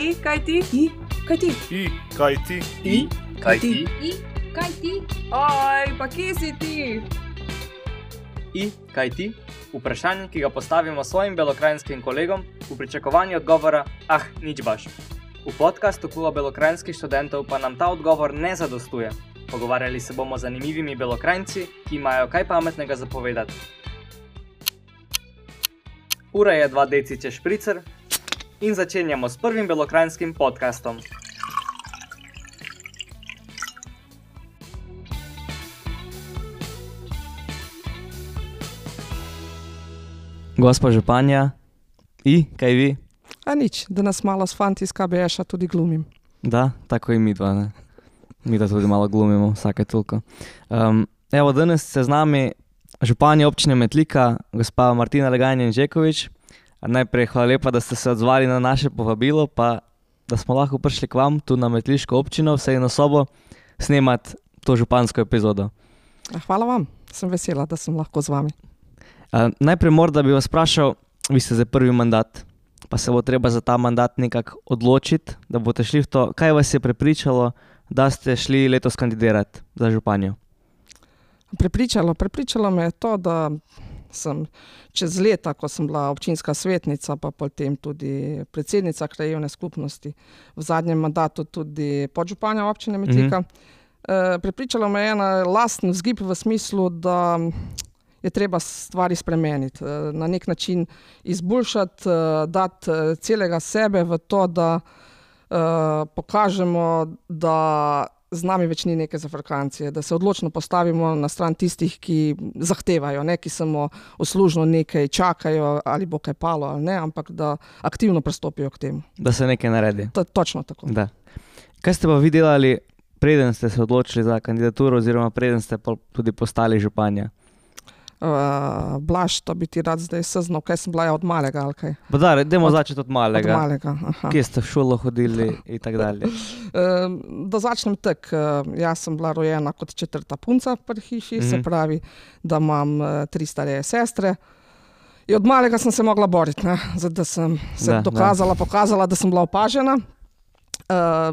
kaj ti? Kaj ti? Kaj ti? Kaj ti? Kaj ti? Oj, pa kje si ti? Kaj ti? Vprašanje, ki ga postavimo svojim belokranjskim kolegom v pričakovanju odgovora, nič baš. V podcastu Kluba belokranjskih študentov pa nam ta odgovor ne zadostuje. Pogovarjali se bomo z zanimivimi belokranjci, ki imajo kaj pametnega zapovedati. Ura je 2 deciče špricer in začenjamo s prvim belokranjskim podcastom. Gospa županja, kaj vi? Nič, da nas malo s fanti iz KBŠ-a tudi glumim. Da, tako i mi dva, ne? Mi da tudi malo glumimo, vsake toliko. Evo, danes se z nami županja občine Metlika, gospa Martina Legajnjen-Žekovič. Najprej hvala lepa, da ste se odzvali na naše povabilo, pa da smo lahko prišli k vam tu na Metliško občino, vse na sobo, snemati to župansko epizodo. Hvala vam, sem vesela, da sem lahko z vami. Najprej morda bi vas vprašal, vi ste za prvi mandat, pa se bo treba za ta mandat nekako odločiti, da boste šli v to. Kaj vas je prepričalo, da ste šli letos kandidirati za županjo? Prepričalo me je to, da sem čez leta, ko sem bila občinska svetnica, pa potem tudi predsednica krajevne skupnosti, v zadnjem mandatu tudi podžupanja občine Metlika. Prepričalo me je ena lasten vzgib v smislu, da je treba stvari spremeniti, na nek način izboljšati, dati celega sebe v to, da pokažemo, da z nami več ni neke zafrkancije, da se odločno postavimo na stran tistih, ki zahtevajo, ne, ki samo uslužno nekaj čakajo, ali bo kaj palo ali ne, ampak da aktivno pristopijo k temu. Da se nekaj naredi. Točno tako. Da. Kaj ste pa vi delali, preden ste se odločili za kandidaturo oziroma preden ste tudi postali županja? Blaž, to bi ti rad zdaj seznal, kaj sem bila od malega ali kaj? Dajmo začeti od malega. Od malega, aha. Kje ste v šolo hodili in tak dalje? Da začnem tak, jaz sem bila rojena kot 4. punca pri hiši, se pravi, da imam 3 stare sestre. In od malega sem se mogla boriti, ne? Da sem se pokazala, da sem bila opažena.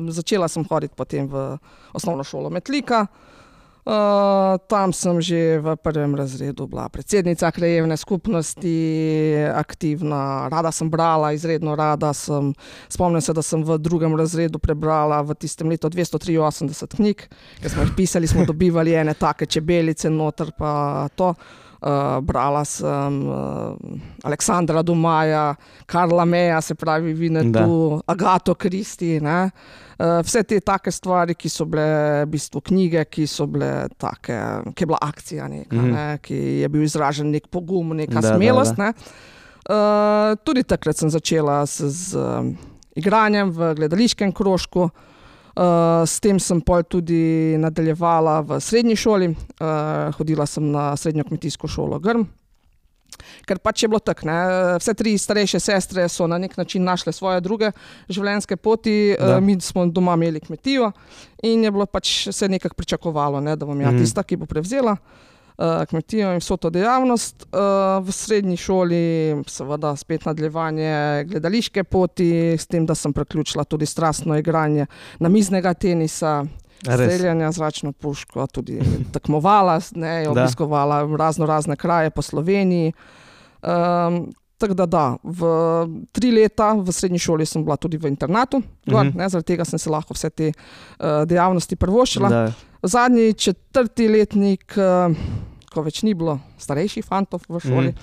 Začela sem hoditi potem v osnovno šolo Metlika. Tam sem že v 1. razredu bila predsednica krajevne skupnosti, aktivna, rada sem brala, izredno rada sem. Spomnim se, da sem v 2. razredu prebrala v tistem letu 283 knjig, ker smo jih pisali, smo dobivali ene take čebelice noter pa to. Brala sem Aleksandra Dumaja, Karla Meja, se pravi Vinetu, Agato Kristi, ne. Vse te take stvari, ki so bile v bistvu knjige, ki so bile take, ki je bila akcija neka, ne, ki je bil izražen nek pogum, neka smelost, ne. Tudi takrat sem začela z igranjem v gledališkem krožku. S tem sem pol tudi nadaljevala v srednji šoli, hodila sem na srednjo kmetijsko šolo Grm, ker pač je bilo tako, ne, vse 3 starejše sestre so na nek način našle svoje druge življenjske poti, mi smo doma imeli kmetijo in je bilo pač se nekako pričakovalo, ne, da bom ja tista, ki bo prevzela kmetijo in vso to dejavnost. V srednji šoli seveda spet nadaljevanje gledališke poti, s tem, da sem priključila tudi strastno igranje namiznega tenisa, streljanja zračno puško, tudi tekmovala, ne, obiskovala razne kraje po Sloveniji. Tako da, v 3 leta v srednji šoli sem bila tudi v internatu, ne, zaradi tega sem se lahko vse te dejavnosti privoščila. Zadnji 4. letnik, ko več ni bilo starejših fantov v šoli,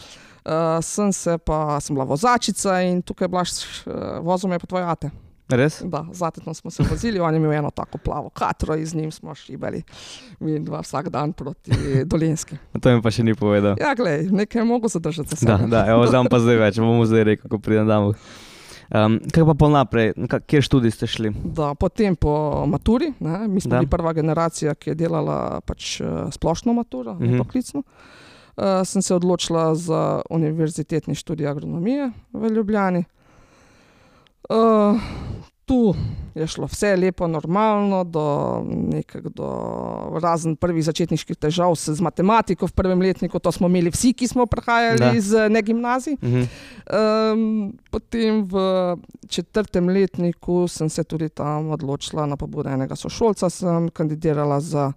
sem bila vozačica in tukaj vozil me pa tvoj ate. Res? Da, z atetom smo se vozili, on je imel eno tako plavo katro in z njim smo šibali mi dva vsak dan proti Dolenjski. To mi pa še ni povedal. Ja, glej, nekaj je mogel zadržati za sebe. Da, evo znam pa zdaj več, bomo zdaj rekel, ko pridem domov. Kaj pa pol naprej, kjer študij ste šli? Da, potem po maturi, ne, mi smo bili prva generacija, ki je delala pač splošno maturo, ne poklicno. Sem se odločila za univerzitetni študij agronomije v Ljubljani. Tu je šlo vse lepo, normalno, razen prvih začetniških težav z matematiko v prvem letniku, to smo imeli vsi, ki smo prihajali iz negimnazij. Potem v 4. letniku sem se tudi tam odločila na pobudo enega sošolca, sem kandidirala za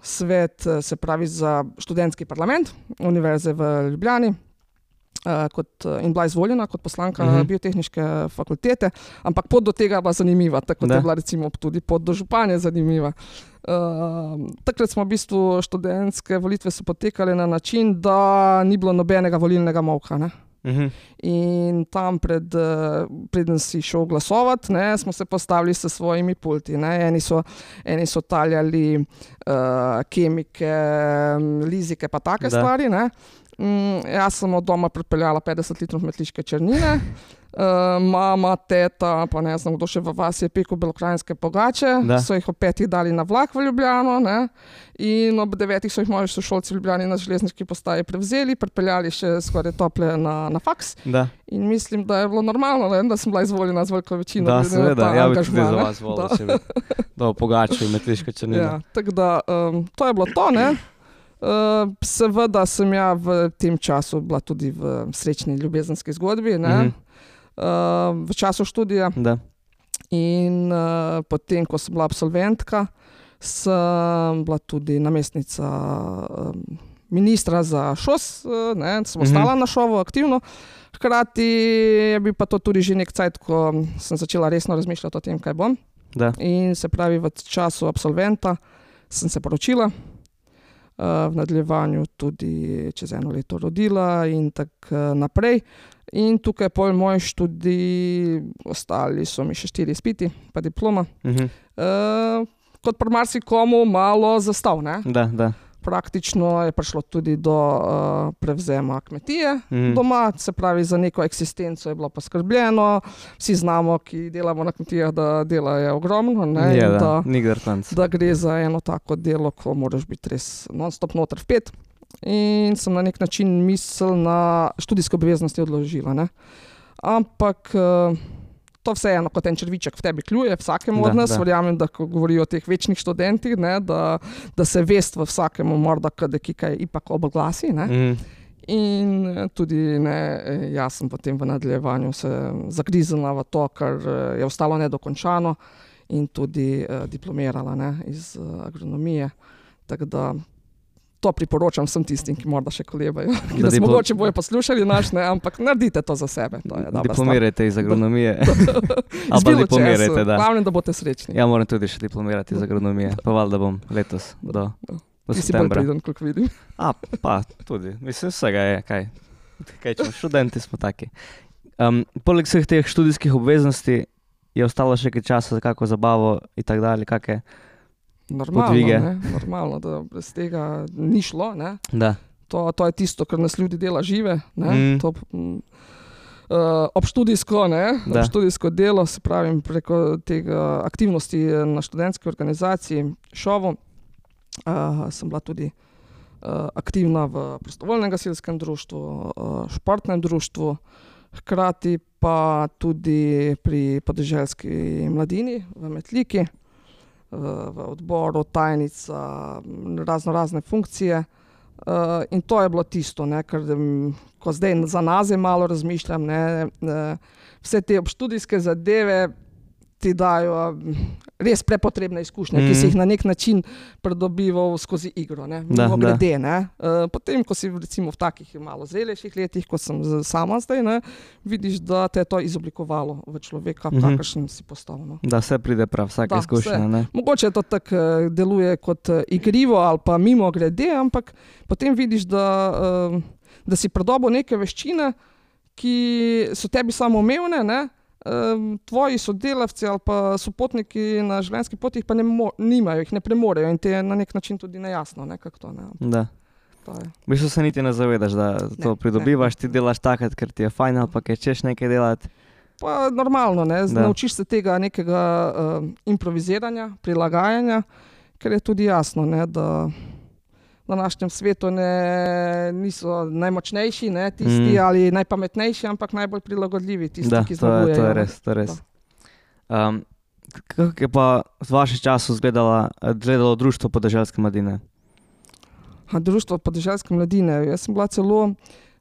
svet, se pravi za študentski parlament Univerze v Ljubljani. In bila izvoljena kot poslanka biotehniške fakultete, ampak pot do tega je bila zanimiva, tako da je bila recimo tudi pot do županje zanimiva. Takrat smo v bistvu študentske volitve so potekale na način, da ni bilo nobenega volilnega molka, ne. In tam preden si šel glasovati, ne, smo se postavili s svojimi pulti, ne. Eni so taljali kemike, lizike pa take stvari, ne. Jaz sem od doma pripeljala 50 litrov metliške črnine, mama, teta, pa ne znam kdo še v vasi je pekel belokranjske pogače, so jih ob 5 dali na vlak v Ljubljano, ne, in ob 9 so jih moji sošolci v Ljubljani na železniški postaji prevzeli, pripeljali še skoraj tople na faks. In mislim, da je bilo normalno, ne, da sem bila izvoljena z veliko večino. Da, seveda, ja bi tudi za vas volil, če bi dal pogače in metliške črnine. Ja, tako da, to je bilo to, ne. Seveda sem ja v tem času bila tudi v srečni ljubezenski zgodbi, ne, v času študija. In potem, ko sem bila absolventka, sem bila tudi namestnica ministra za ŠOS, ne, sem ostala na šovu aktivno. Hkrati je bil pa to tudi že nek cajt, ko sem začela resno razmišljati o tem, kaj bom. In se pravi, v času absolventa sem se poročila. V nadaljevanju tudi čez 1 leto rodila in tako naprej. In tukaj pol moj študij, ostali so mi še 4 izpiti, pa diploma. Kot pri marsikomu malo zastav, ne? Praktično je prišlo tudi do prevzema kmetije doma, se pravi za neko eksistenco je bilo poskrbljeno. Vsi znamo, ki delamo na kmetijah, da dela je ogromno, ne, da gre za eno tako delo, ko moraš biti res non-stop noter vpet. In sem na nek način misel na študijske obveznosti odložila, ne. Ampak to vseeno kot en črviček v tebi kljuje, vsakemu od nas, verjamem, da ko govorijo o teh večnih študentih, ne, da se vest v vsakemu morda kaj ipak oblasi, ne. In tudi, ne, jaz sem potem v nadaljevanju se zagriznila v to, kar je ostalo nedokončano in tudi diplomirala, ne, iz agronomije, tako da to priporočam vsem tistim, ki morda še kolebajo, ki nas mogoče bojo poslušali ne, ampak naredite to za sebe. To je diplomirajte iz agronomije. Ali pa diplomirajte, da. Glavnem, da boste srečni. Ja, moram tudi še diplomirati iz agronomije, pa valjda bom letos do septembra. Ti si bolj priden, koliko vidim. Pa tudi, mislim, vsega je, kaj čemo, študenti smo taki. Poleg vseh teh študijskih obveznosti je ostalo še kaj časa za kako zabavo in tako dalje, kakšne podvige. Normalno, da brez tega ni šlo, ne. To je tisto, kar nas ljudi dela žive, ne. To obštudijsko, ne, obštudijsko delo, se pravim, preko tega aktivnosti na študentski organizaciji ŠOVU. Sem bila tudi aktivna v prostovoljnem gasilskem društvu, športnem društvu, hkrati pa tudi pri podeželski mladini v Metliki, v odboru, tajnica, razne funkcije. In to je bilo tisto, ne, ker ko zdaj za nazaj malo razmišljam, ne, vse te obštudijske zadeve ti dajo res prepotrebne izkušnje, ki si jih na nek način pridobival skozi igro, ne, mimogrede, ne. Potem, ko si recimo v takih malo zrelejših letih, kot sem sama zdaj, ne, vidiš, da te je to izoblikovalo v človeka, kakršen si postal, no. Da vse pride prav, vsaka izkušnja, ne. Mogoče to tako deluje kot igrivo ali pa mimogrede, ampak potem vidiš, da si pridobil neke veščine, ki so tebi samoumevne, ne. Tvoji sodelavci ali pa sopotniki na življenjski poti jih pa nimajo, jih ne premorejo in te je na nek način tudi nejasno, ne, kako to, ne. V bistvu se niti ne zavedaš, da to pridobivaš, ti delaš takrat, ker ti je fajn ali pa ker češ nekaj delati. Pa normalno, ne, naučiš se tega nekega improviziranja, prilagajanja, ker je tudi jasno, ne, da v današnjem svetu niso najmočnejši, ne, tisti ali najpametnejši, ampak najbolj prilagodljivi, tisti, ki zmagujejo. To je res. Kako je pa v vašem času izgledalo društvo podeželske mladine? Društvo podeželske mladine. Jaz sem bila celo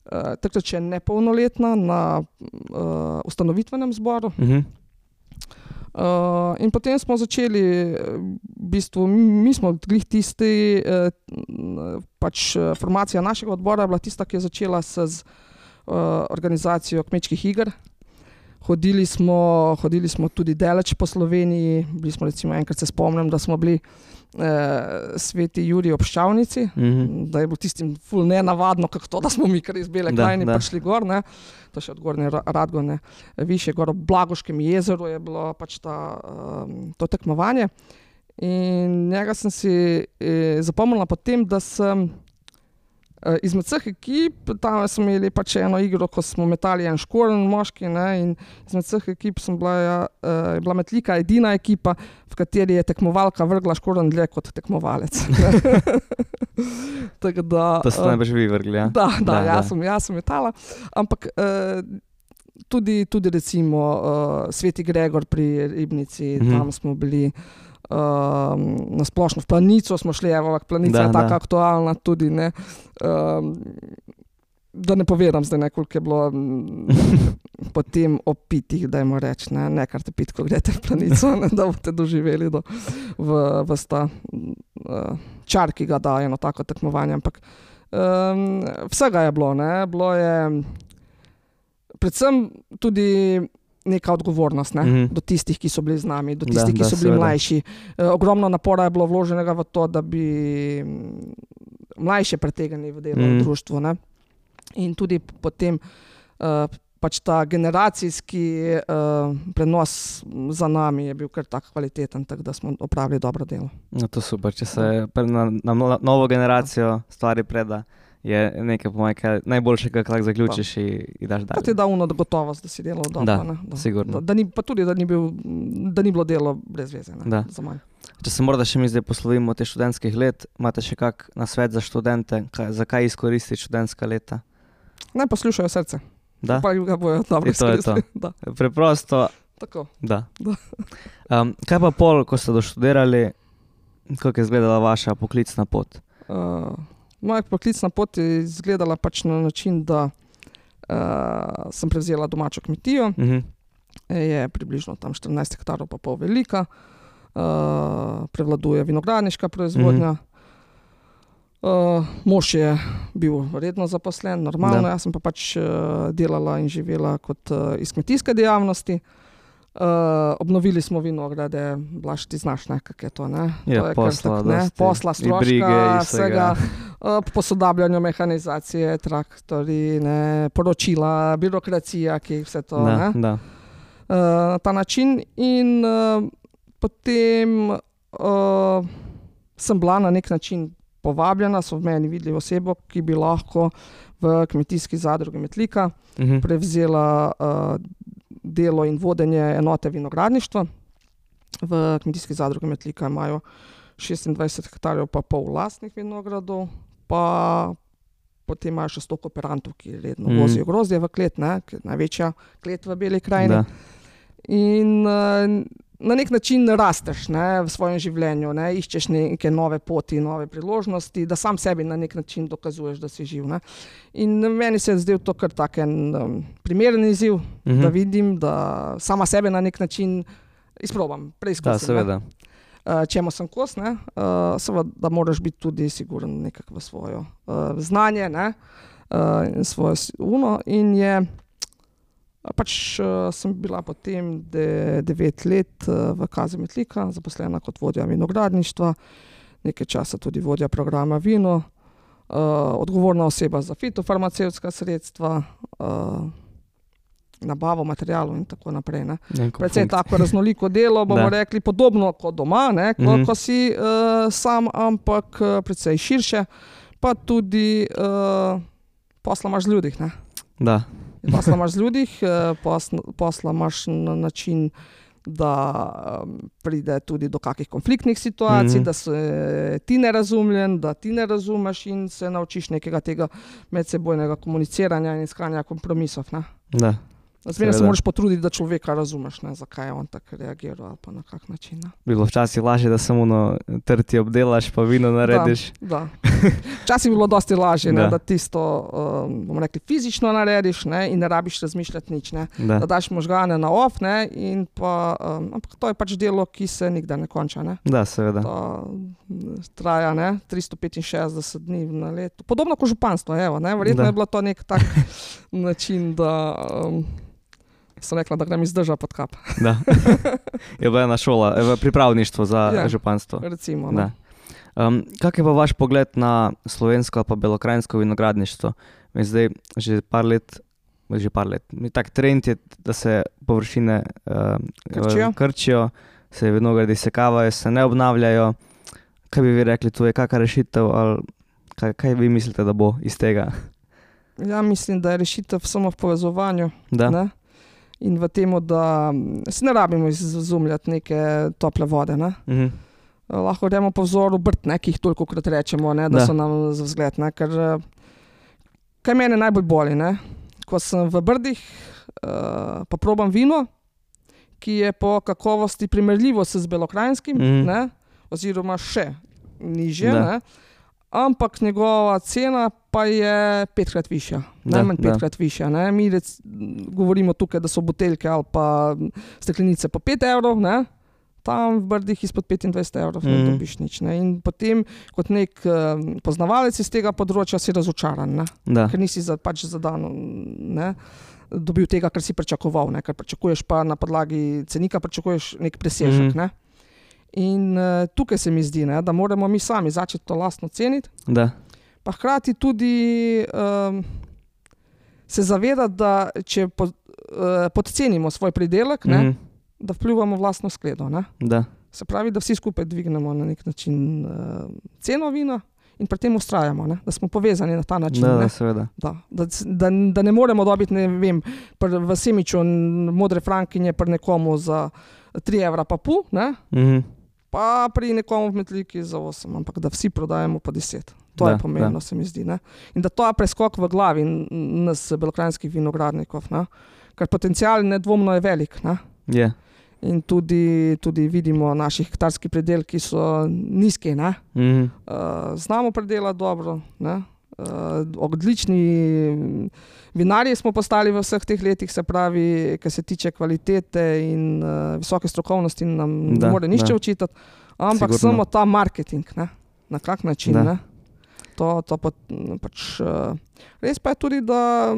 takrat še nepolnoletna na ustanovitvenem zboru. In potem smo začeli, v bistvu, mi smo glih tisti, pač formacija našega odbora je bila tista, ki je začela z organizacijo kmečkih iger. Hodili smo tudi daleč po Sloveniji, bili smo recimo, enkrat se spomnim, da smo bili Sveti Jurij ob Ščavnici, da je bilo tistim ful nenavadno, kako to, da smo mi kar iz Bele krajine prišli gor, ne. To še od Gornje Radgone, višje gor ob Blagoškem jezeru je bilo pač to tekmovanje. In njega sem si zapomnila potem, da sem izmed vseh ekip, tam smo imeli pač eno igro, ko smo metali en škorn moški, ne, in izmed vseh ekip je bila Metlika edina ekipa, v kateri je tekmovalka vrgla škorn dlje kot tekmovalec. Tako da, to ste najbrž vi vrgli, ja? Da, jaz sem metala, ampak tudi recimo Sveti Gregor pri Ribnici, tam smo bili, na splošno v Planico smo šli, Planica je taka aktualna tudi, ne, da ne povedam zdaj, koliko je bilo potem opitih, dajmo reči, ne kar te pit, ko greste v Planico, ne, da boste doživeli v sta čar, ki ga da eno tako tekmovanje, ampak vsega je bilo, ne, bilo je predvsem tudi neka odgovornost, ne, do tistih, ki so bili z nami, do tistih, ki so bili mlajši. Ogromno napora je bilo vloženega v to, da bi mlajše pretegnili v delo v društvu, ne. In tudi potem pač ta generacijski prenos za nami je bil kar tak kvaliteten, tako da smo opravili dobro delo. No, to super, če se na novo generacijo stvari preda, je nekaj po mojem najboljšega, kar zaključiš in daš dalje. Pa ti da gotovost, da si delal dobro. Da, sigurno. Pa tudi, da ni bilo delo brez veze, ne, za manj. Če se morda še mi zdaj poslovimo te študentskih let, imate še kak nasvet za študente, zakaj izkoristiti študentska leta? Naj poslušajo srce. Da? Pa ga bojo dobro izkoristili. To. Preprosto. Tako. Da. Kaj pa pol, ko ste doštudirali, kako je izgledala vaša poklicna pot? Moja poklicna pot je izgledala pač na način, da sem prevzela domačo kmetijo, je približno tam 14 hektarov pa pol velika, prevladuje vinogradniška proizvodnja. Mož je bil redno zaposlen, normalno, jaz sem pa pač delala in živela kot iz kmetijske dejavnosti. Obnovili smo vinograde, Blaž, ti znaš, ne, kak je to, ne? Ja, posla, stroška, vsega, posodabljanju mehanizacije, traktorji, ne, poročila, birokracija, ki vse to, ne? Da. Na ta način in potem sem bila na nek način povabljena, so v meni videli osebo, ki bi lahko v kmetijski zadrugi Metlika prevzela delo in vodenje enote vinogradništva. V kmetijski zadrugi Metlika imajo 26 hektarjev pa pol lastnih vinogradov, pa potem imajo še 100 kooperantov, ki redno vozijo grozdje v klet, ne, največja klet v Beli krajini. In na nek način rasteš, ne, v svojem življenju, ne, iščeš neke nove poti, nove priložnosti, da sam sebi na nek način dokazuješ, da si živ, ne. In meni se je zdel to kar tak en primeren izziv, da vidim, da sama sebe na nek način izprobam, preizkusim. Da, seveda. Čemu sem kos, ne, seveda, da moraš biti tudi siguren nekako v svojo znanje, ne, in svojo in je pač sem bila potem 9 let v Kazi Metlika, zaposlena kot vodja vinogradništva, nekaj časa tudi vodja programa vino, odgovorna oseba za fitofarmacevtska sredstva, nabavo materialov in tako naprej, ne. Precej tako raznoliko delo, bomo rekli, podobno kot doma, ne, ko si sam, ampak precej širše, pa tudi posla imaš z ljudih, ne. Da. Posla imaš z ljudih, posla imaš na način, da pride tudi do kakih konfliktnih situacij, da se ti ne razumljen, da ti ne razumeš in se naučiš nekega tega medsebojnega komuniciranja in iskanja kompromisov, ne. Da. Zmeraj se moraš potruditi, da človeka razumeš, ne, zakaj je on tako reagiral ali pa na kak način. Ne. Bilo včasih lažje, da samo trti obdelaš, pa vino narediš. Da. Včasih je bilo dosti lažje, ne, da tisto, bomo rekli, fizično narediš, ne, in ne rabiš razmišljati nič. Ne. Da daš možgane na off, ne, in pa, ampak to je pač delo, ki se nikdar ne konča. Ne. Da, seveda. To traja, ne, 365 dni na leto. Podobno kot županstvo, evo, ne. Verjetno je bilo to nek tak način, da sem rekla, da grem iz drža pod kap. Da. Je bila ena šola, pripravništvo za županstvo. Recimo. Da. Kak je pa vaš pogled na slovensko ali pa belokranjsko vinogradništvo? Zdaj že par let, tak trend je, da se površine krčijo, se vinogradi sekavajo, se ne obnavljajo. Kaj bi vi rekli, tu je kakšna rešitev ali kaj vi mislite, da bo iz tega? Ja, mislim, da je rešitev samo v povezovanju. Da. Ne? In v tem, da se ne rabimo izumljati neke tople vode. Ne? Lahko gremo po vzoru Brd, ki jih tolikokrat rečemo, ne, da so nam za vzgled. Ne, ker kaj mene najbolj boli, ne? Ko sem v Brdih, pa probam vino, ki je po kakovosti primerljivo z belokranjskim, ne, oziroma še nižje, ne, ampak njegova cena pa je 5-krat višja, najmanj 5-krat višja. Ne. Mi govorimo tukaj, da so buteljke ali pa steklenice po 5 evrov, ne. Tam v Brdih izpod 25 evrov ne dobiš nič. Ne. In potem kot nek poznavalec iz tega področja si razočaran, ne. Ker nisi pač za dan dobil tega, kar si pričakoval, ne. Ker pričakuješ pa na podlagi cenika, pričakuješ nek presežek. Ne. In tukaj se mi zdi, ne, da moramo mi sami začeti to lastno ceniti. Da. Pa hkrati tudi se zavedati, da če podcenimo svoj pridelek, ne, da vplivamo v lastno skledo. Ne. Da. Se pravi, da vsi skupaj dvignemo na nek način ceno vina in pri tem ustrajamo, ne, da smo povezani na ta način. Da, seveda. Da ne moremo dobiti, ne vem, v Semiču modre frankinje pri nekomu za 3 evra pa pol, ne, pa pri nekomu v Metliki za 8, ampak da vsi prodajamo po 10. To je pomembno, se mi zdi. Ne? In da to je preskok v glavi nas belokranjskih vinogradnikov, ne? Ker potencial nedvomno je velik. Ne? Yeah. In tudi vidimo naši hektarski pridelki so nizki. Ne? Znamo pridelati dobro, ne? Odlični vinarji smo postali v vseh teh letih, se pravi, kar se tiče kvalitete in visoke strokovnosti nam ne more nišče učitati, ampak sigurno. Samo ta marketing, ne? Na kak način. Ne? To pač, res pa je tudi, da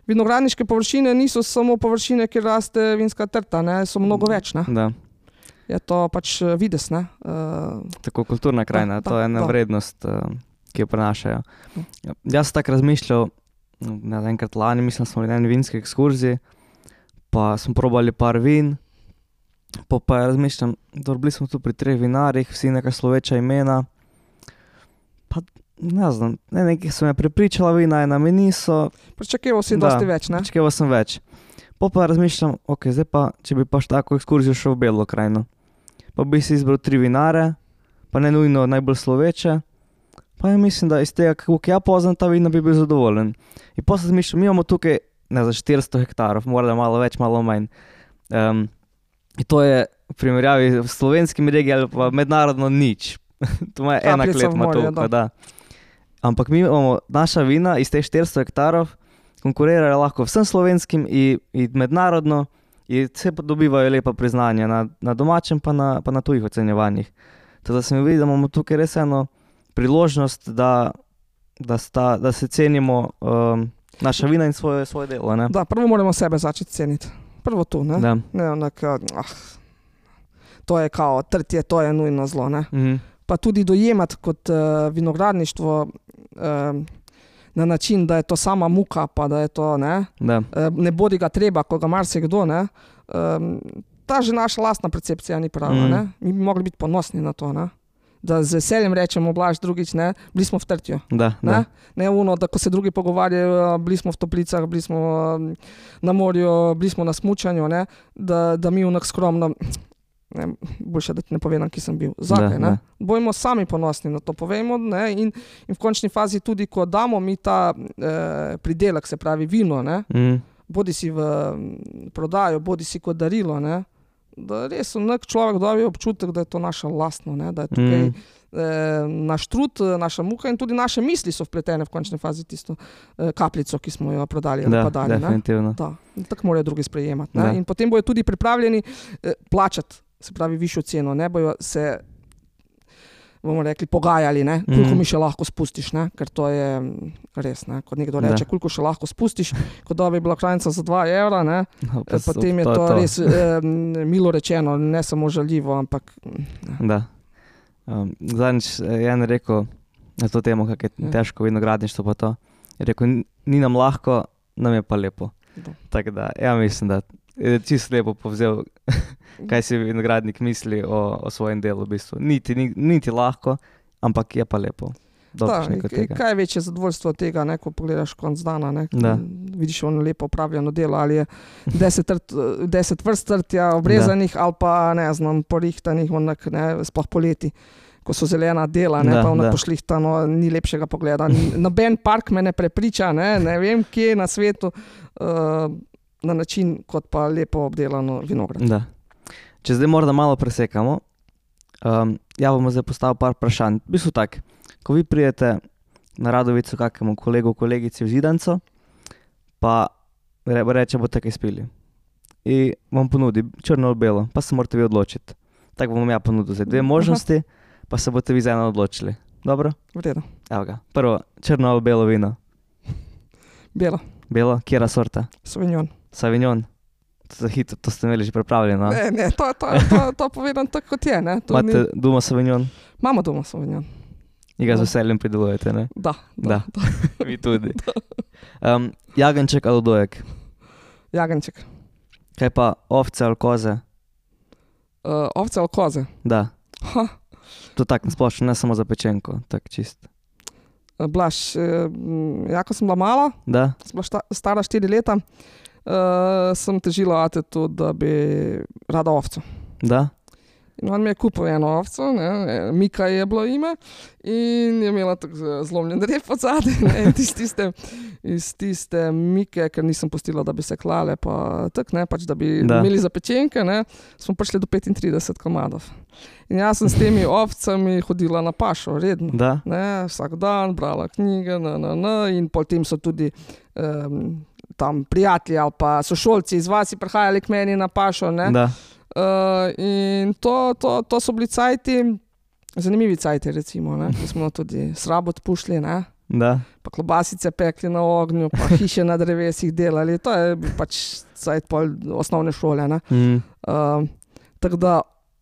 vinogradniške površine niso samo površine, kjer raste vinska trta, ne? So mnogo več. Ne? Da. Je to pač vides. Ne? Tako kulturna krajina, to je ena vrednost, ki jo prenašajo. Jaz sem tako razmišljal, enkrat lani, mislim, smo bili na eni vinski ekskurziji, pa smo probali par vin, pa razmišljam, bili smo tu pri 3 vinarjih, vsi neka sloveča imena, pa ne znam, nekaj so me prepričala vina, ena mi niso. Pričakeval si dosti več, ne? Pričakeval sem več. Pa razmišljam, ok, zdaj pa, če bi pa tako ekskurzijo šel v Belo krajino, pa bi si izbral 3 vinare, pa ne nujno najbolj sloveče, pa ja mislim, da iz tega, kako ja poznam ta vina, bi bil zadovoljen. In pa sem razmišljal, mi imamo tukaj, ne za 400 hektarov, morda malo več, malo manj. In to je v primerjavi s slovenskimi regijami ali pa mednarodno nič. To ima ena klet, ima toliko, da. Ampak mi imamo naša vina iz teh 400 hektarov, konkurirajo lahko vsem slovenskim in mednarodno in vse dobivajo lepa priznanja na domačem pa na tujih ocenjevanjih. Tako da se mi vidi, da imamo tukaj res eno priložnost, da se cenimo naša vina in svoje delo. Ne? Da, prvo moramo sebe začeti ceniti. Prvo tu, ne? Da. Ne, to je kao trtje, to je nujno zlo, ne? Pa tudi dojemati kot vinogradništvo na način, da je to sama muka, pa da je to, ne? Ne bodi ga treba, ko ga marsikdo, ne? Ta že naša lastna percepcija ni prava, ne? Mi bi mogli biti ponosni na to, ne? Da z veseljem rečemo, Blaž, drugič, ne, bili smo v Trtju. Ne ono, da ko se drugi pogovarjajo, bili smo v Toplicah, bili smo na morju, bili smo na smučanju, ne, da mi vnak skromno, ne, boljše, da ti ne povedam, ki sem bil. Zakaj, ne? Bojmo sami ponosni na to, povejmo, ne, in v končni fazi tudi, ko damo mi ta pridelek, se pravi vino, ne, bodi si v prodajo, bodi si kot darilo, ne, da res nek človek dobi občutek, da je to naše lastno, ne, da je tukaj naš trud, naša muka in tudi naše misli so vpletene v končni fazi tisto kapljico, ki smo jo prodali ali pa dali. Definitivno. Da, tako morajo drugi sprejemati. Ne? In potem bojo tudi pripravljeni plačati, se pravi, višjo ceno, ne bojo se, bomo rekli, pogajali, ne? Koliko mi še lahko spustiš, ne? Ker to je res, ne? Kot nekdo reče, koliko še lahko spustiš, kot da bi bila krajnica za 2 evra, ne? Potem je to res milo rečeno, ne samo žaljivo, ampak... Da. Zadnjič je en rekel na to temo, kako je težko vinogradništvo pa to. Je rekel, ni nam lahko, nam je pa lepo. Tako da, ja mislim, da je čisto lepo povzel, kaj si vinogradnik misli o svojem delu v bistvu. Niti lahko, ampak je pa lepo. Kaj je večje zadovoljstvo od tega, ne, ko pogledaš konc dana, ne, vidiš ono lepo opravljeno delo, ali je 10 vrst trtja obrezanih ali pa, ne znam, porihtanih, onak, ne, sploh poleti, ko so zelena dela, ne, pa onak pošlihtano, ni lepšega pogleda. Noben park me ne prepriča, ne vem, kje na svetu, na način, kot pa lepo obdelano vinograd. Da. Če zdaj morda malo presekamo, ja bomo zdaj postavil par vprašanj. V bistvu tak, ko vi prijete na Radovico kakemu kolegu, kolegici v Zidanco, pa reče, boste kaj spili. In vam ponudi črno ali belo, pa se morate vi odločiti. Tako bom ja ponudil zdaj 2 možnosti, pa se boste vi za eno odločili. Dobro? V redu. Evo ga. Prvo, črno ali belo vino? Belo. Belo? Kjera sorta? Sauvignon. Sauvignon? To ste imeli že pripravljeno? Ne, to povedam tako, kot je. Imate doma Sauvignon? Imamo doma Sauvignon. In ga z veseljem pridelujete, ne? Da. Mi tudi. Jagenček ali dojek? Jagenček. Kaj pa ovce ali koze? Ovce ali koze? Da. To tako nasplošno, ne samo za pečenko, tako čist. Blaž, ko sem bila mala, sem bila stara 4 leta, sem težila atetu, da bi rada ovco. Da? In on mi je kupil eno ovco, Mika je bilo ime, in je imela tako zlomljen rep od zadaj, in iz tiste Mike, ker nisem pustila, da bi se klale, pa tako, pač, da bi imeli za pečenke, smo prišli do 35 komadov. In jaz sem s temi ovcami hodila na pašo, redno. Vsak dan, brala knjige, in potem so tudi tam prijatelji ali pa sošolci iz vasi prihajali k meni na pašo, in to so bili cajti, zanimivi cajti recimo, ko smo tudi srabot pušli, pa klobasice pekli na ognju, pa hiše na drevesih delali, to je pač cajt pol osnovne šole. Tako da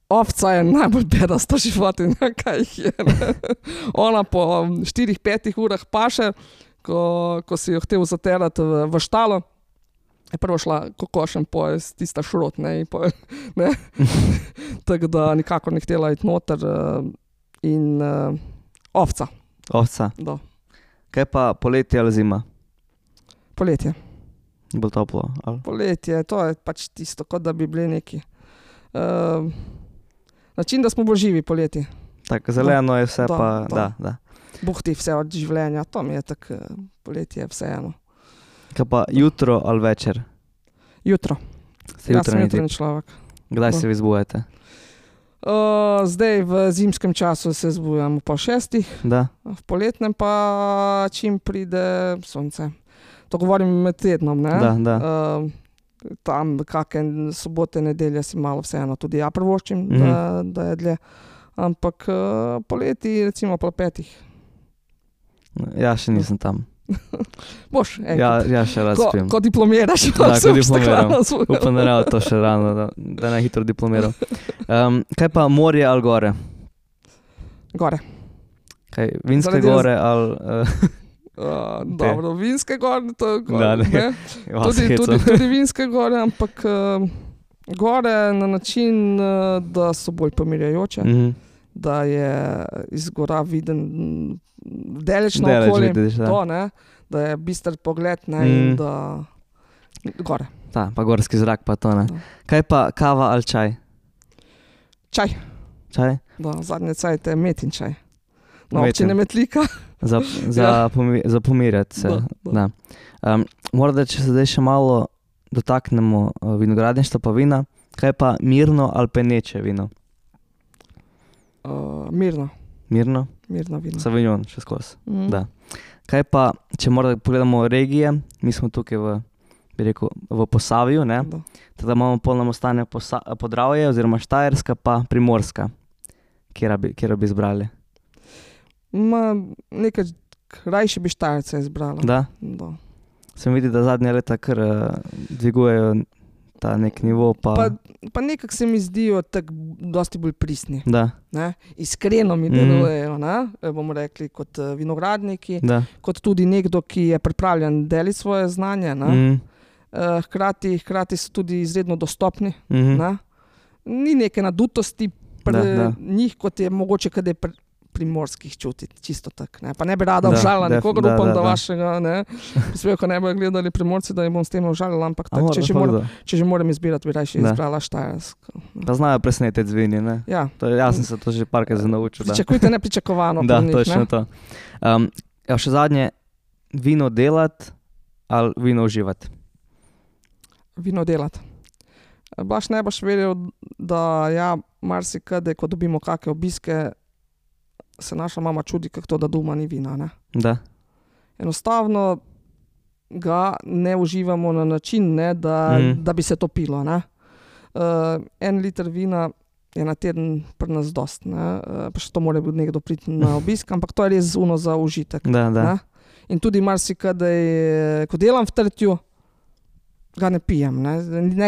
ovca je najbolj bedasta životinja, kaj jih je. Ona po 4-5 urah paše, ko si jo hotel zaterati v štalo, je prvo šla kokošem pojest, tista šrot, tako da nikako ne htela iti noter in ovca. Ovca? Da. Kaj pa poletje ali zima? Poletje. Bolj toplo? Ali? Poletje, to je pač tisto, kot da bi bili neki. Način, da smo bolj živi poletje. Tako, zeleno je vse pa, da. Buhti vse od življenja, to mi je tako poletje vseeno. Kaj pa jutro ali večer? Jutro. Jaz sem jutranji človek. Kdaj se vi zbujate? Zdaj v zimskem času se zbujam po 6. V poletnem pa čim pride sonce. To govorim med tednom, ne? Da. Tam kakšne sobote, nedelje si malo vseeno tudi ja prvoščim, da je dlje. Ampak poleti recimo po 5. Ja, še nisem tam. Boš, enkrat. Ja, še rad spim. Ko diplomiraš. Da, ko diplomiram. Upam, da to še rano, da ne hitro diplomiral. Kaj pa morje ali gore? Gore. Kaj, vinske gore ali... Dobro, vinske gore, to je gore. Ne? Tudi vinske gore, ampak gore na način, da so bolj pomirjajoče. Da je iz gora viden daleč na okolje, da je bister pogled, in da gore. Da, pa gorski zrak pa to, ne. Kaj pa kava ali čaj? Čaj. Čaj? Da, zadnje cajte metin čaj. Na občine Metlika. Za pomirjati se. Da. Morda, če se zdaj še malo dotaknemo vinogradništva pa vina. Kaj pa mirno ali peneče vino? Mirno. Mirno? Mirno vino. Sauvignon še skozi. Da. Kaj pa, če morda pogledamo regije, mi smo tukaj v Posavju, ne? Teda imamo polno stanje Podravje oziroma Štajerska pa Primorska. Kjera bi izbrali? Nekaj rajši bi Štajerce izbrala. Da? Da. Sem vidi, da zadnje leta kar dvigujejo ta nek nivo. Pa nekako se mi zdijo tako dosti bolj pristni. Da. Ne? Iskreno mi delujejo, bomo rekli, kot vinogradniki, kot tudi nekdo, ki je pripravljen deliti svoje znanje. Hkrati so tudi izredno dostopni. Ni neke nadutosti njih, kot je mogoče kaj primorskih čutiti, čisto tako. Pa ne bi rada užalila nikogar, upam, da vašega prispevka ne bojo gledali Primorci, da jim bom s tem užalila, ampak tak, če že moram izbirati, bi rajši izbrala Štajersko. Pa znajo presnetiti z vini, ne? Ja. Jaz sem se to že parkrat naučil. Pričakujte nepričakovano. Da, točno to. Še zadnje, vino delati ali vino uživati? Vino delati. Blaž ne boš verjel, da marsikdaj, ko dobimo kakšne obiske, se naša mama čudi, kako to, da doma ni vina, ne? Da. Enostavno ga ne uživamo na način, ne, da bi se to pilo, ne. 1 liter vina je na teden pri nas dost, ne. Pa še to mora nekdo priti na obisk, ampak to je res zuno za užitek. Da. In tudi marsikdaj, ko delam v Trtju, ga ne pijem, ne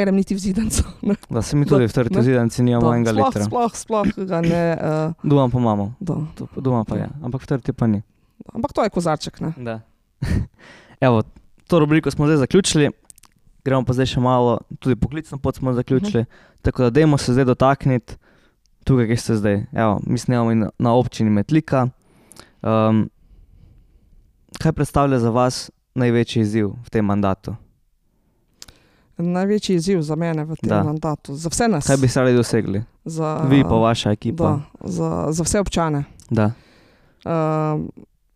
grem niti v Zidanco. Da, se mi tudi v Trtju Zidanci nimamo 1 litra. Sploh ga ne... Doma pa imamo. Doma pa je, ampak v Trtju pa ni. Ampak to je kozarček, ne. Da. Evo, to rubriko smo zdaj zaključili, gremo pa zdaj še malo, tudi poklicno pot smo zaključili, tako da dajmo se zdaj dotakniti tukaj, kje ste zdaj. Evo, mi snemamo na občini Metlika. Kaj predstavlja za vas največji izziv v tem mandatu? Največji izziv za mene v tem mandatu, za vse nas. Kaj bi se radi dosegli? Vi pa vaša ekipa. Za vse občane. Da.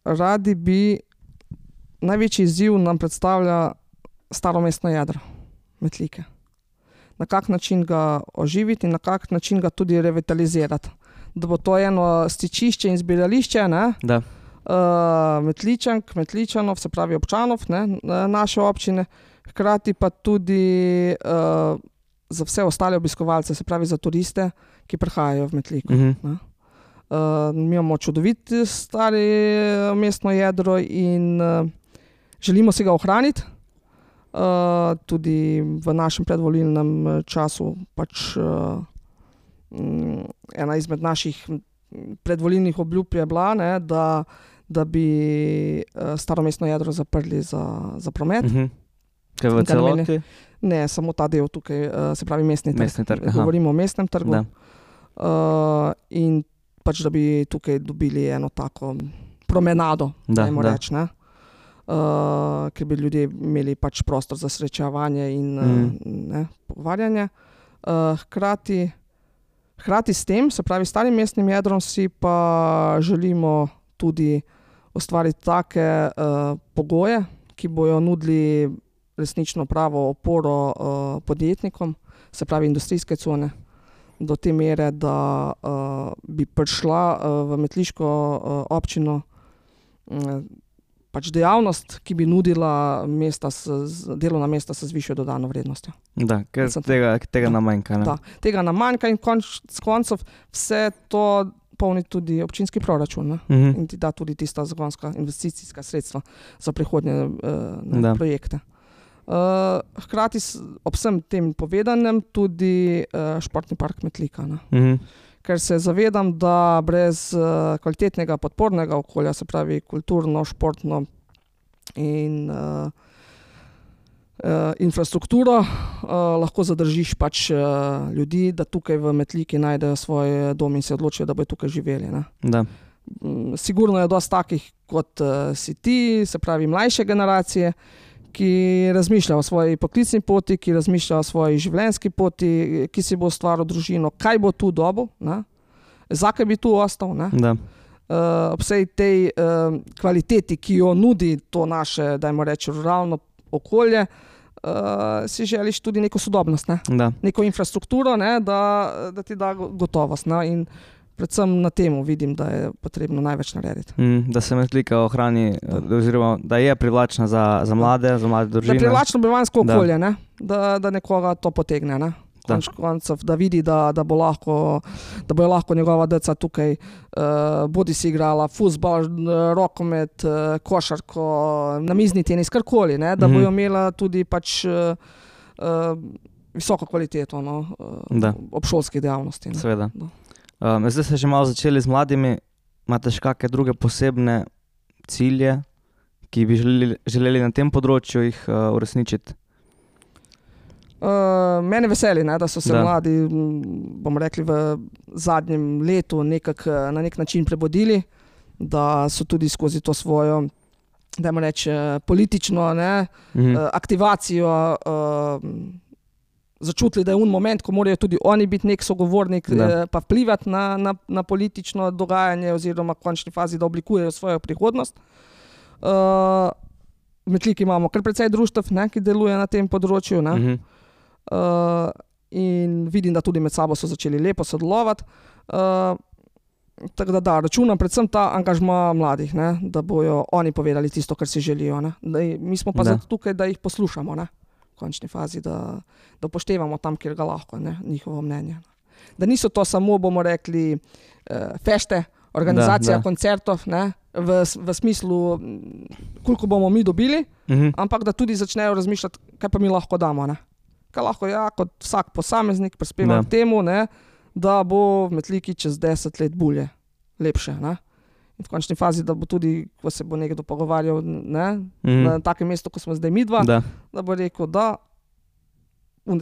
Radi bi, največji izziv nam predstavlja staro mestno jedro Metlike. Na kak način ga oživiti in na kak način ga tudi revitalizirati. Da bo to eno stičišče in zbirališče, ne? Da. Metličank, Metličanov, se pravi občanov, ne? Naše občine. Hkrati pa tudi za vse ostale obiskovalce, se pravi za turiste, ki prihajajo v Metliko. Mi imamo čudovit stari mestno jedro in želimo si ga ohraniti. Tudi v našem predvolilnem času pač ena izmed naših predvolilnih obljub je bila, ne, da bi staro mestno jedro zaprli za promet. Kaj v celoti? Ne, samo ta del tukaj, se pravi mestni trg. Govorimo o mestnem trgu. In pač, da bi tukaj dobili eno tako promenado, dajmo reči, ne. Ker bi ljudje imeli pač prostor za srečevanje in pogovarjanje. Hkrati s tem, se pravi starim mestnim jedrom, si pa želimo tudi ustvariti take pogoje, ki bojo nudili resnično pravo oporo podjetnikom, se pravi industrijske cone, do te mere, da bi prišla v metliško občino pač dejavnost, ki bi nudila delovna mesta s višjo dodano vrednostjo. Da, ker tega nam manjka. Da, tega nam manjka in s koncov vse to polni tudi občinski proračun, in ti da tudi tista zagonska investicijska sredstva za prihodnje projekte. Hkrati ob vsem tem povedanem tudi športni park Metlika. Ker se zavedam, da brez kvalitetnega podpornega okolja, se pravi kulturno, športno in infrastrukturo, lahko zadržiš pač ljudi, da tukaj v Metliki najdejo svoj dom in se odločijo, da bodo tukaj živeli. Da. Sigurno je dosti takih, kot si ti, se pravi mlajše generacije, ki razmišlja o svoji poklicni poti, ki razmišlja o svoji življenjski poti, ki si bo ustvaril družino, kaj bo tu dobil, zakaj bi tu ostal. Ob vsej tej kvaliteti, ki jo nudi to naše, dajmo reči, ruralno okolje, si želiš tudi neko sodobnost, ne? Neko infrastrukturo, ne? Da ti da gotovost. Ne? In predvsem na temu vidim, da je potrebno največ narediti. Da se Metlika ohrani, oziroma da je privlačna za mlade družine. Da je privlačno bivanjsko okolje, ne? Da nekoga to potegne. Ne? Koncev, da vidi, da bojo lahko njegova deca tukaj bodi si igrala fuzbal, rokomet, košarko, namizni tenis, karkoli, ne? Da bojo imela tudi pač visoko kvaliteto obšolskih dejavnosti. Seveda. Zdaj ste že malo začeli z mladimi, imate še kakšne druge posebne cilje, ki bi želeli na tem področju jih uresničiti? Mene veseli, ne, da so se mladi, bomo rekli, v zadnjem letu na nek način prebudili, da so tudi skozi to svojo, dajmo reči, politično aktivacijo začutili, da je moment, ko morajo tudi oni biti nek sogovornik, pa vplivati na politično dogajanje oziroma v končni fazi, da oblikujejo svojo prihodnost. V Metliki imamo kar precej društev, ki deluje na tem področju. In vidim, da tudi med sabo so začeli lepo sodelovati. Tako da računam predvsem ta angažma mladih, da bojo oni povedali tisto, kar si želijo. Mi smo pa zato tukaj, da jih poslušamo. V končni fazi, da upoštevamo tam, kjer ga lahko, njihovo mnenje. Da niso to samo, bomo rekli, fešte, organizacija koncertov, v smislu, koliko bomo mi dobili, ampak da tudi začnejo razmišljati, kaj pa mi lahko damo. Kaj lahko kot vsak posameznik prispeva k temu, da bo v Metliki čez 10 let bolje, lepše. In v končni fazi, da bo tudi, ko se bo nekdo pogovarjal na takem mestu, ko smo zdaj midva, da bo rekel, da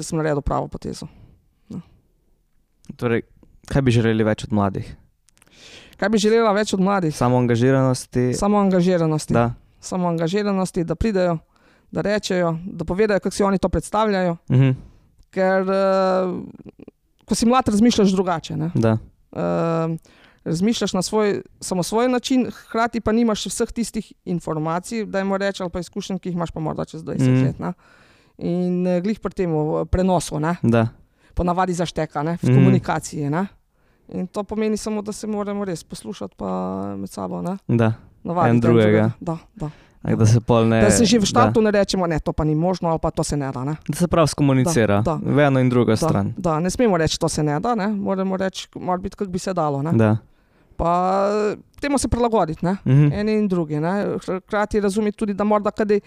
sem naredil pravo potezo. Torej, kaj bi želeli več od mladih? Kaj bi želela več od mladih? Samoangažiranosti. Samoangažiranosti, da pridejo, da rečejo, da povedajo, kako si oni to predstavljajo. Ker ko si mlad, razmišljaš drugače. Razmišljaš na svoj način, hkrati pa nimaš vseh tistih informacij, dajmo reči, ali pa izkušenj, ki jih imaš pa morda čez 20 let. In glih pri tem prenosu, ponavadi zašteka, v komunikaciji. In to pomeni samo, da se moramo res poslušati pa med sabo. Navaditi en drugega. Da. Da se že v štartu ne rečemo, to pa ni možno, ali pa to se ne da. Da se prav skomunicira, v eno in drugo stran. Da, ne smemo reči, to se ne da, moramo reči, mora biti, kako bi se dalo. Pa temu se prilagoditi, eni in drugi. Hkrati razumeti tudi, da morda kadaj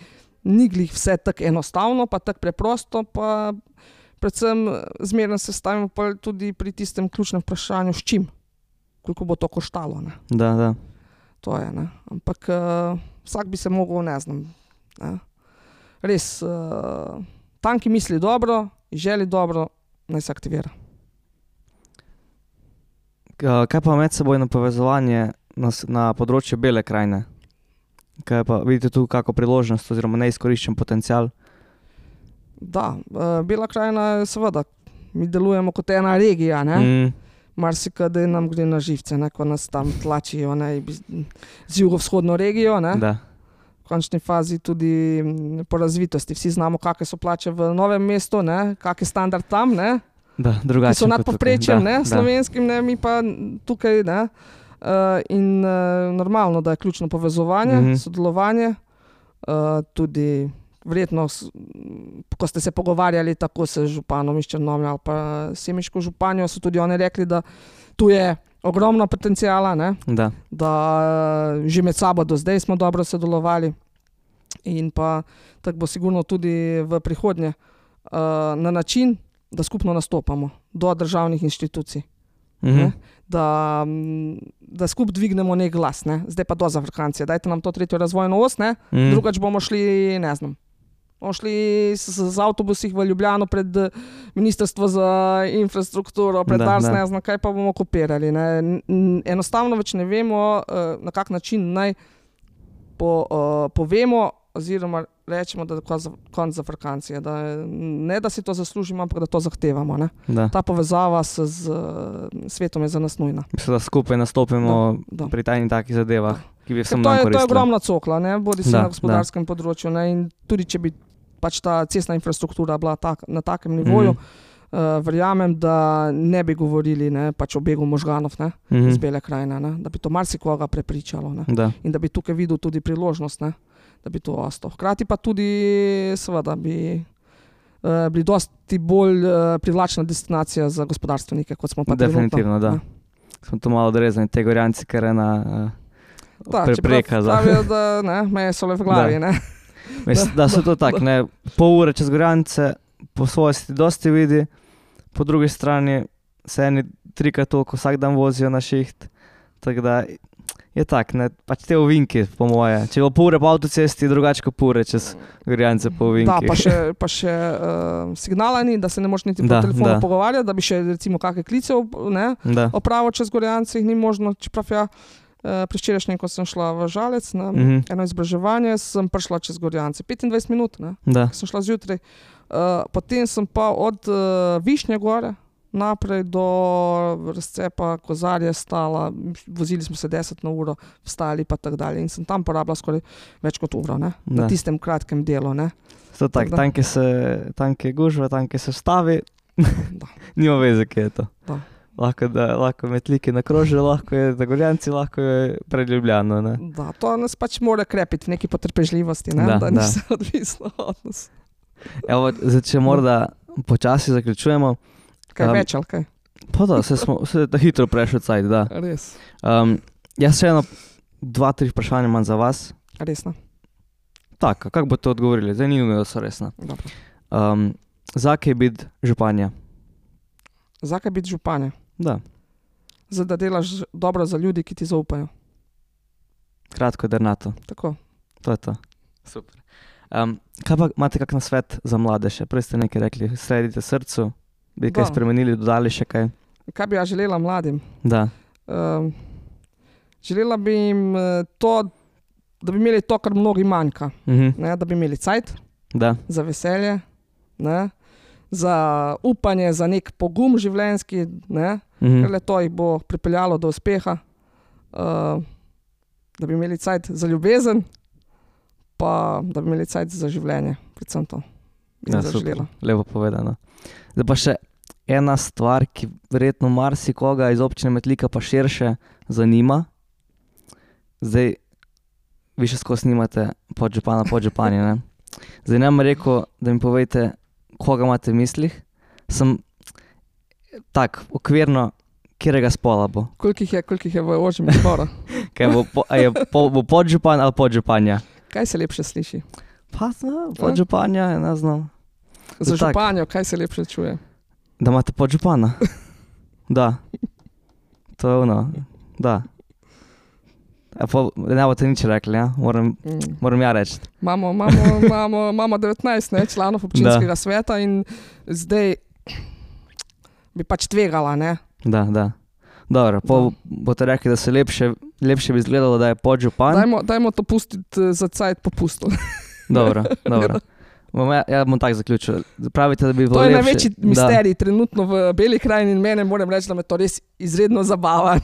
ni glih vse tako enostavno, pa tako preprosto, pa predvsem zmerno se stavimo pa tudi pri tistem ključnem vprašanju, s čim, koliko bo to koštalo. Da. To je, ampak vsak bi se mogel, res tam, ki misli dobro, želi dobro, naj se aktivira. Kaj pa medsebojno povezovanje na področju Bele krajine? Kaj pa vidite tu kako priložnost oziroma neizkoriščen potencial? Da, Bela krajina je seveda, mi delujemo kot ena regija, marsikdaj nam gre na živce, ko nas tam tlačijo z jugovzhodno regijo. V končni fazi tudi po razvitosti. Vsi znamo, kakšne so plače v Novem mestu, kak je standard tam, ki so nad povprečjem slovenskim, mi pa tukaj. In normalno, da je ključno povezovanje, sodelovanje, tudi verjetno, ko ste se pogovarjali tako s županom iz Črnomlja ali pa semiško županjo, so tudi oni rekli, da tu je ogromno potencijala, da že med sabo do zdaj smo dobro sodelovali in pa tako bo sigurno tudi v prihodnje na način, da skupno nastopamo do državnih inštitucij. Da skupaj dvignemo nek glas. Zdaj pa do zafrkancije. Dajte nam to 3. razvojno os, drugač bomo šli, ne znam, bomo šli z avtobusih v Ljubljano pred Ministrstvo za infrastrukturo, pred Dars, ne znam, kaj pa bomo kopirali. Enostavno več ne vemo, na kak način naj povemo oziroma rečemo, da je konc zafrkancije. Ne, da si to zaslužimo, ampak da to zahtevamo. Ta povezava z svetom je za nas nujna. Mislim, da skupaj nastopimo pri takih zadevah, ki bi vsem nam koristile. To je ogromna cokla, bodi se na gospodarskem področju. In tudi, če bi pač ta cestna infrastruktura bila na takem nivoju, verjamem, da ne bi govorili, ne, pač o begu možganov, ne, iz Bele krajine, ne, da bi to marsikoga prepričalo, ne, in da bi tukaj videl tudi priložnost, ne, da bi to ostal. Hkrati pa tudi seveda bi bili dosti bolj privlačna destinacija za gospodarstvenike, kot smo pa definitivno, da. Smo to malo odrezani, te Gorjanci, ker ena prepreka. Pravijo, da ne, meje so le v glavi, ne. Da so to tak, ne, pol ure čez Gorjance, po svoje se ti dosti vidi, po drugi strani se eni 3-krat toliko vsak dan vozijo na šiht, tako da je tak, ne, pač te ovinki, po moje. Če bo pol ure po avtocesti, drugače kot pol ure čez Gorjance po ovinki. Da, pa še signala ni, da se ne moš niti po telefonu pogovarjati, da bi še recimo kakve klice opravil čez Gorjance, jih ni možno, čeprav ja, preščerajšnjem, ko sem šla v Žalec na eno izobraževanje, sem prišla čez Gorjance, 25 minut, ne, sem šla zjutraj. Potem sem pa od Višnje gore naprej do razcepa Kozarje stala, vozili smo se 10 na uro, vstali pa tako dalje in sem tam porabila skoraj več kot uro, ne, na tistem kratkem delu, ne. To tak, tanke gužva, tanke se vstavi, nima veze, kje je to. Da. Lahko metliki na krožju, lahko je na Gorjanci, lahko je pred Ljubljano, ne. Da, to nas pač mora krepiti v neki potrpežljivosti, ne, da ni se odvisno od nas. Evo, zdaj, če morda počasi zaključujemo. Kaj več, ali kaj? Pa da, se da hitro prešel cajt, da. Res. Jaz še 2-3 vprašanja imam za vas. Resno. Tak, kako boste odgovorili? Zdaj ni nujno, da so resna. Zakaj biti županja? Zakaj biti županja? Da. Zdaj, da delaš dobro za ljudi, ki ti zaupajo. Kratko, dernato. Tako. To je to. Super. Kaj pa imate kak nasvet za mlade še? Prej ste nekaj rekli, sledite srcu, bi kaj spremenili, dodali še kaj? Kaj bi ja želela mladim? Da. Želela bi jim to, da bi imeli to, kar mnogi manjka. Ne, da bi imeli cajt, za veselje, ne, za upanje, za nek pogum življenjski, ne, ker le to jih bo pripeljalo do uspeha, da bi imeli cajt za ljubezen, pa da bi imeli cajt za življenje, predvsem to. Ja, super, lepo povedano. Zdaj pa še ena stvar, ki verjetno marsikoga iz občine Metlika pa širše zanima. Zdaj, vi še skozi snimate podžupana, podžupanje, ne? Zdaj nam rekel, da mi povejte, koga imate v mislih. Sem tak, okvirno, kjerega spola bo? Koliko jih je v ožjem izboru? Bo podžupan ali podžupanja? Kaj se lepše sliši? Pa, podžupanja, ne znam. Za županjo, kaj se lepše čuje? Da imate podžupana. Da. To je ono, da. Ne boste nič rekli, ja? Moram ja reči. Imamo 19 članov občinskega sveta in zdaj bi pač tvegala, ne? Da. Dobro, boste rekli, da se lepše bi izgledalo, da je podžupan. Dajmo to pustiti za cajt popustu. Dobro. Ja bom tak zaključil. Pravite, da bi bilo lepše. To je največji misterij trenutno v Beli krajini in mene moram reči, da me to res izredno zabava.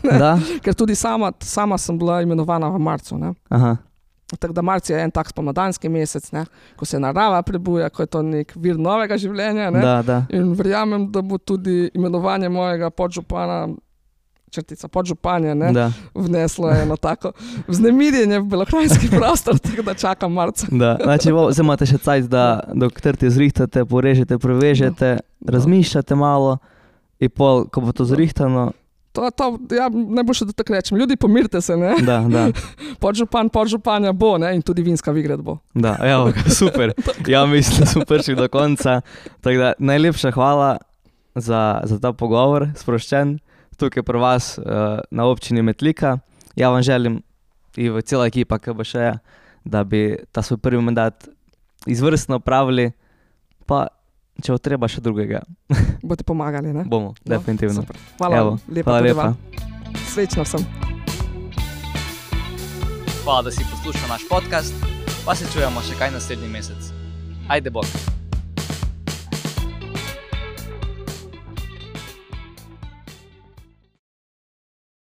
Ker tudi sama sem bila imenovana v marcu. Ne? Aha. Tako da marc je en tak spomladanski mesec, ne? Ko se narava prebuja, ko je to nek vir novega življenja. Ne? Da. In verjamem, da bo tudi imenovanje mojega podžupana, črtica podžupanja, ne, vneslo eno tako vznemirjenje v belokranjski prostor, tako da čakam marca. Da, znači zdaj imate še cajt, da dokler te zrihtate, porežete, prevežete, razmišljate malo in pol, ko bo to zrihtano. Ja, najboljše, da tako rečem. Ljudi, pomirite se, ne? Da. Podžupanja bo, ne, in tudi vinska vigret bo. Da, evo, super. Ja, mislim, da smo prišli do konca. Tako da, najlepša hvala za ta pogovor, sproščen. Tukaj pri vas na občini Metlika. Ja vam želim in v cela ekipa KBŠ-ja, da bi ta svoj prvi mandat izvrstno opravili, pa če bo treba še drugega. Boste pomagali, ne? Bomo, definitivno. Super. Hvala lepa. Srečno sem. Hvala, da si poslušal naš podcast, pa se čujemo še kaj naslednji mesec. Ajde bok.